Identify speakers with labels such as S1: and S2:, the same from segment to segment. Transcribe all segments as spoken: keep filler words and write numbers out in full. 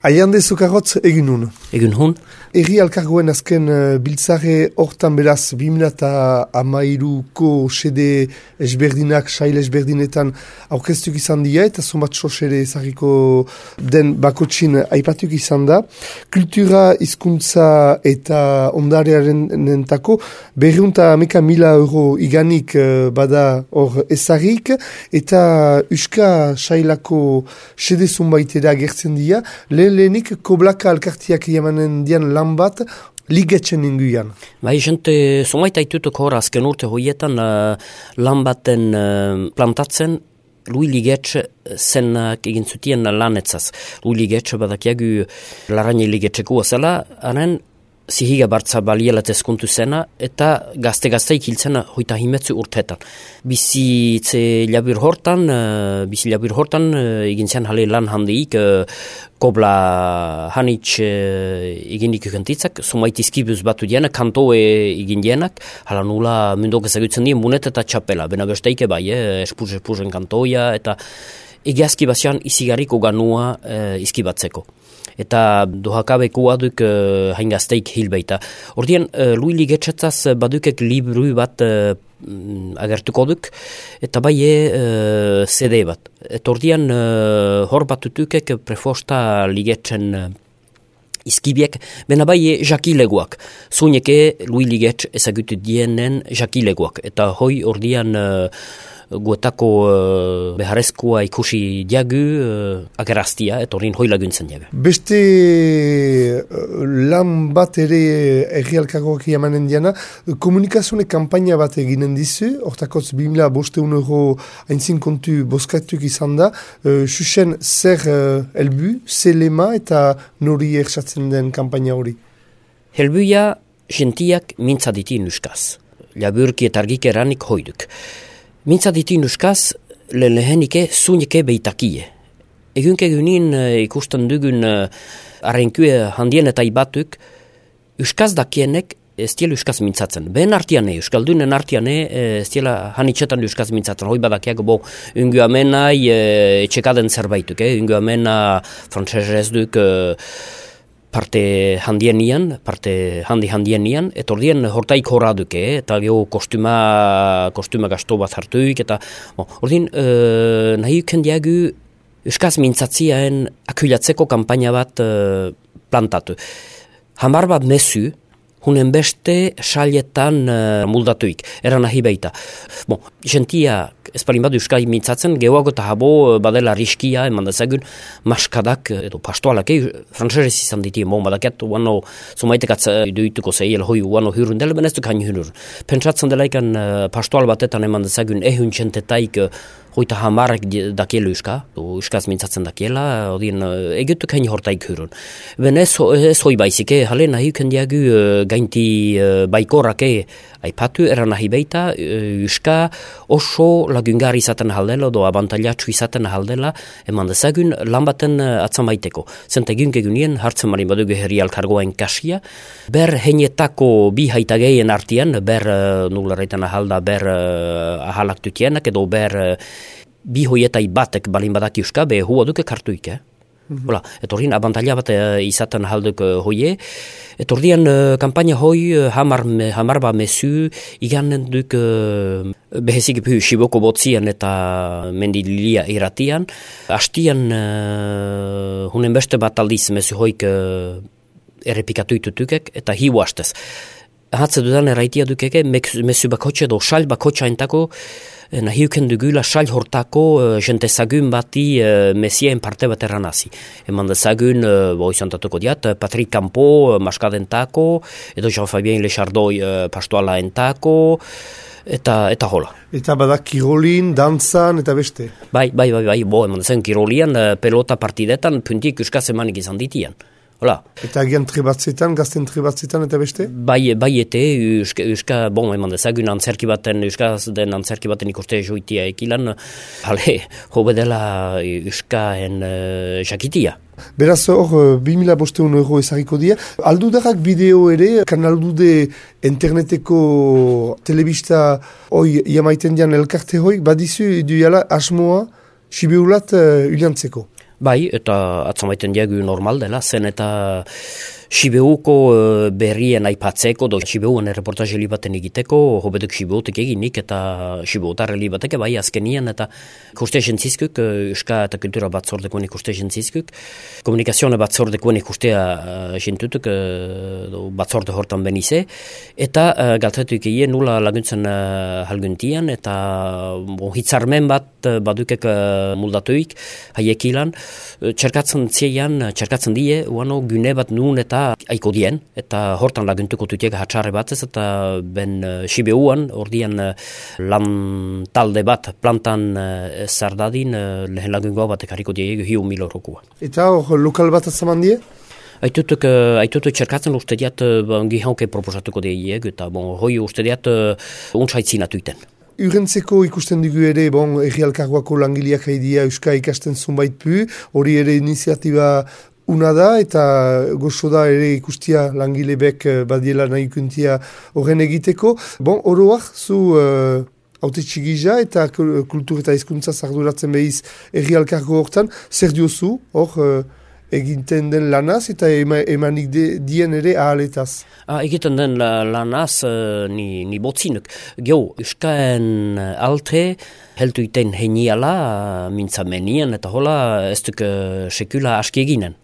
S1: Aiande Zukarrotz egin hun.
S2: Egin hun.
S1: Herri alkargoen azken uh, biltzare hortan beraz bi mila hamairuko sede esberdinak, sail esberdinetan aurkeztuk izan dira eta zonbat sosere ezagiko den bakotxin aipatuk izan da. Kultura, hizkuntza eta ondarearen nentako berriunta ameka mila euro iganik uh, bada hor ezagik eta Euska sailako sede zunbaitera gertzen dira. Lehen lehenik koblaka alkartiak jamanen dian lan bat ligetzen inguian.
S2: Bai, jente, zumaita itutuk hor azken urte hoietan uh, lan baten uh, plantatzen Lui Ligetxe zenak egin zutien lanetzaz. Lui Ligetxe badakiagu laraine ligetxeko zela, haren zihiga bartza balielat ezkuntu zena, eta gazte-gazteik hiltzena hoita himetzu urtetan. Bizitze labur hortan, uh, bizi labur hortan, uh, egin zen hale lan handiik, uh, kobla hanitz uh, egin ikukantitzak, sumait izkibuz batu dienak, kantoe egin dienak, hala nula mundok ezagutzen dien bunet eta txapela, bena besteike bai, eh, espuz-espuzen kantoia, eta egiazki bazian izigarriko ganua uh, izkibatzeko. Eta dohakabekua duk uh, haingazteik hilbeita. Ordien, uh, Lui Ligetxetzaz badukek libru bat uh, agertuko duk, eta bai uh, C D bat. Eta ordien, uh, hor batutukek prefosta Ligetxen uh, izkibiek, bena bai jakileguak. Zuneke Lui Ligetx ezagutu dienen jakileguak. Eta hoi ordian uh, guetako uh, beharrezkoa ikusi diagu uh, ageraztia, eta horrin hoi laguntzen diagu.
S1: Beste uh, lan bat ere erri alkargoak jamanen diana, komunikazione kampaina bat eginen dizu, hortakotz bi mila bosteun euro haintzin kontu boskatuk izan da, uh, xuxen zer uh, helbu, zer lema eta nori ersatzen den kampaina hori?
S2: Helbuia gentiak mintzaditin euskaz. Laburki eta argik eranik hoiduk. Mintzaditin euskaz, le lehenike zunike beitakie. Egunke egunin uh, ikusten dugun uh, arrenkue handien eta ibatuk, euskaz dakienek ez diela euskaz mintzatzen. Ben artiane, euskaldunen artiane, ez diela hanitxetan euskaz mintzatzen. Hoi badakiak, bo, ungu amenai uh, etxekaden zerbaituk, eh? Ungu amena frantzesez duk uh, parte handienian, parte handi handienian, eta ordien hortaik horraduke, eh? Eta geho kostuma, kostuma gasto bat hartuik, eta bon, ordien uh, nahi uken diagu euskaz mintzatziaen akulatzeko kampaina bat uh, plantatu. Hamar bat mesu, hunen beste salietan uh, muldatuik, eran nahi baita. Bon, jentia espalin badu euskal mintzatzen, gehoago eta habo badela riskia, eman dezagun, maskadak, edo pastoalak, eh, frantzerez izan ditien, bon, badakiat, uano, zumaitek atza duituko zeiel hoi, uano hyrun dela, beneztu kain hyrun. Pentsatzen delaikan uh, pastoal batetan eman dezagun, ehun txentetaik, uh, hoita hamarek dakiela euska, euskaz mintzatzen dakiela, odien, uh, egutu kain hortaik hyrun. Ben ez, ez hoi baizik, eh, hale nahi kendiagu uh, gainti uh, baikorrak, eh, aipatu, eran nahi beita, euska oso lagungar izaten haldela, do abantailatxu izaten haldela, eman dezagun lan baten atzan baiteko. Zenta egun egunien, hartzen marin badugu herri alkargoain kasia, ber heinetako bi haitageien artian, ber uh, nularretan ahalda, ber uh, ahalak tutienak, edo ber uh, bi hoietai batek balin badak euska, be hua duke kartuik, eh? Mm-hmm. Eta horien abantaila bat uh, izaten halduk uh, hoie. Eta horien uh, kampaina hoi uh, hamar, me, hamar ba mesu iganen duk uh, behezik puhu shiboko botzien eta mendililia iratian. Astian uh, hunen beste bat aldiz mesu hoik uh, errepikatu itutukek eta hiu hastez. Hatze dudan erraitia dukeke mesu bakotxe do sal bakotxa entako nahiuken dugula sal hortako uh, jentezagun bati uh, mesien parte bat erranazi. Eman dezagun, uh, bo izantatuko diat, Patrick Campo, uh, maskadentako, edo Jean-Fabien Lechardoi uh, pastoala entako, eta, eta hola.
S1: Eta badak kirolin, dantzan, eta beste.
S2: Bai, bai, bai, bai, bo, eman dezagun kirolian, uh, pelota partidetan, puntik euskaz emanik izan ditian. Hola.
S1: Eta agian trebatzetan, gazten trebatzetan eta beste?
S2: Bai, bai ete, euska, euska, bon, eman dezagun antzerki baten, euskaz den antzerki baten ikuste joitia ekilan, hale, hobe dela euskaen uh, jakitia.
S1: Beraz hor, bi mila bosteun euro ezagiko dia. Aldudarak bideo ere, kanaldude interneteko telebista hoi jamaiten dian elkarte hoi, badizu duela asmoa, sibeulat uh, uliantzeko.
S2: Bai, eta atzamaiten diagu normal dela, zen eta Sibeuko uh, berrien aipatzeko, do Sibeuan erreportaje baten egiteko, hobetuk Sibeutek eginik eta Sibeutar bateke bai azkenian eta ikuste jentzizkuk, uh, Euska eta Kultura batzordekoen ikuste jentzizkuk, komunikazioa batzordekoen ikustea uh, jentutuk, uh, batzorde hortan benize, eta uh, galtetuk egin nula laguntzen uh, halguntian, eta bon, hitzarmen bat uh, badukek uh, muldatuik, haiek ilan, uh, txerkatzen zeian, txerkatzen die, uano gune bat nun eta aiko dien, eta hortan laguntuko tutiek hatxarre batez, eta ben uh, Sibeuan, ordian uh, lan talde bat plantan uh, zardadin, uh, lehen lagungoa bat ekariko diegu hiu mil eurokua.
S1: Eta hor lokal bat atzaman die?
S2: Aitutuk, uh, aitutuk txerkatzen uste diat uh, gihauke proposatuko diegu, eta bon, hoi uste diat uh, untsaitzinatu iten.
S1: Urentzeko ikusten dugu ere, bon, Herri Elkargoako langileak haidia Euska ikasten zunbait pu, hori ere iniziatiba una da, eta gozo da ere ikustia langilebek badiela nahi ikuntia horren egiteko. Bon, oroak, zu uh, haute txigiza eta kultur eta hizkuntza arduratzen behiz Herri Elkargo hortan, zer diozu, hor, uh, egiten den lanaz eta ema, emanik de, dien ere ahaletaz?
S2: Ah, egiten den la, lanaz uh, ni, ni botzinuk. Geo, Euskaen alte, heltu iten heniala, uh, mintzamenien, eta hola ez duk uh, sekula aski eginen.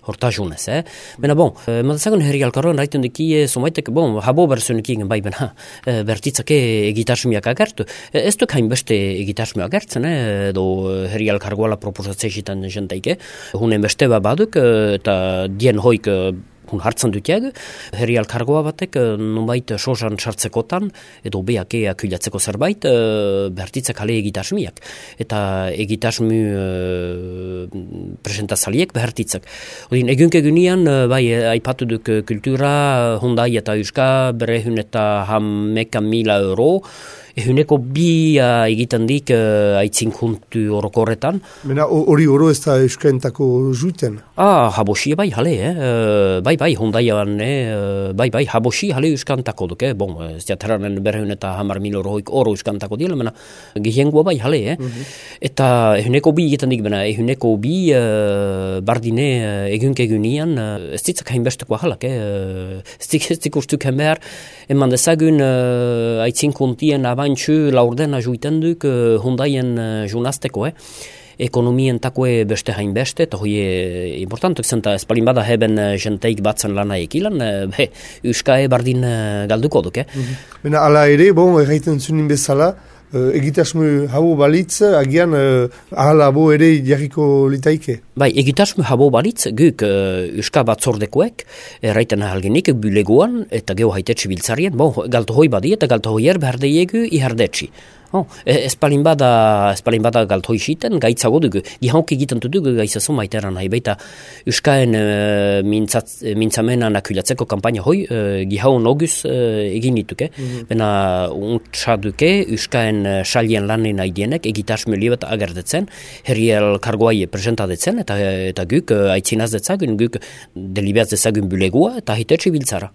S2: Hortasunez, eh? Bena, bon, e, madazagun Herri Elkargoan raiten dukie, somaitek, bon, habo berzunik igen bai, bena, e, bertitzake egitasmiak agertu. E, ez duk hain beste egitasmi agertzen, eh? Do Herri Elkargoala proposatzea zitan jenteike. Hunen beste baduk, eta dien hoik hun hartzen dutiag, Herri Elkargoa batek nonbait sosan sartzekotan, edo beak akulatzeko zerbait, bertitzak hale egitasmiak. Eta egitasmi uh, presentazaliek behartitzak. Odin, egunke gunian, bai, aipatu duk kultura, Hyundai eta Euska, berehun eta hameka mila euro, ehuneko bi uh, egiten dik uh, aitzinkuntu orokorretan.
S1: Mena hori oro ez da euskaentako juten?
S2: Ah, habosi bai, hale, eh? Uh, bai, bai, Hyundaian, eh? bai, bai, habosi hale euskantako duk, eh? Bon, ez diateranen berehun eta hamar mil oroik oro euskantako dila, mena, gihengoa bai, hale, eh? Mm-hmm. Eta ehuneko bi egiten dik, mena, ehuneko bi uh, bardine uh, egunke egunian, uh, ez ditzak hainbesteko halak, eh? Uh, ez dik, ez dik ustuk hemer, eman dezagun uh, aitzinkuntien abantxu laurdena juiten duk uh, Hyundaien uh, junazteko, eh? Ekonomien takoe beste hain beste, eta hoi importantuk zenta espalin bada heben jenteik batzen lana ekilan, be, Euskae bardin galduko duk, eh?
S1: Mm-hmm. Bena, ala ere, bon, erraiten zunin bezala, uh, egitasmu hau balitz, agian uh, ahala bo ere jarriko litaike?
S2: Bai, egitasmu habo balitz, guk uh, Euska batzordekoek, erraiten ahalgenik, bulegoan, eta geho haitetsi biltzarien, bon, galto hoi badi, eta galto hoier behar deiegu ihardetsi. Oh, espalin bada, espalin bada galto isiten, gaitzago dugu. Gihauk egiten dugu gaitzazo maiteran nahi baita Euskaen uh, mintzat, mintzamenan akulatzeko kampaina hoi, uh, gihau noguz uh, egin dituke. Mm-hmm. Bena untsa duke Euskaen uh, salien lanen aidienek egitasme libat agerdetzen, Herri Elkargoai presentadetzen, eta, eta guk uh, aitzinaz detzagun, guk delibeaz dezagun bulegua, eta hitetsi biltzara.